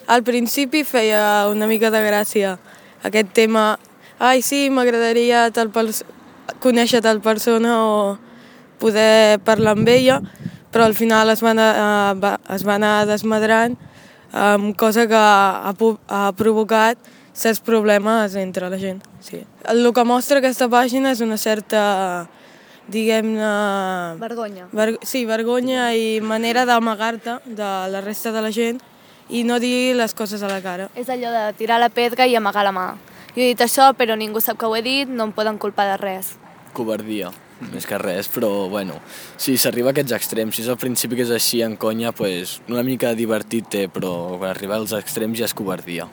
Al principi feia una mica de gràcia aquest tema. Ai, sí, m'agradaria conèixer tal persona o poder parlar amb ella, però al final es va anar desmadrant, cosa que ha provocat certs problemes entre la gent. Sí. El que mostra aquesta pàgina és una certa, diguem-ne... Vergonya. Sí, vergonya i manera d'amagar-te de la resta de la gent i no dir les coses a la cara. És allò de tirar la pedra i amagar la mà. Jo he dit això, però ningú sap que ho he dit, no em poden culpar de res. Covardia, més que res, però bueno, si s'arriba a aquests extrems, si és al principi que és així en conya, pues, una mica divertit té, però quan arriba als extrems ja és covardia.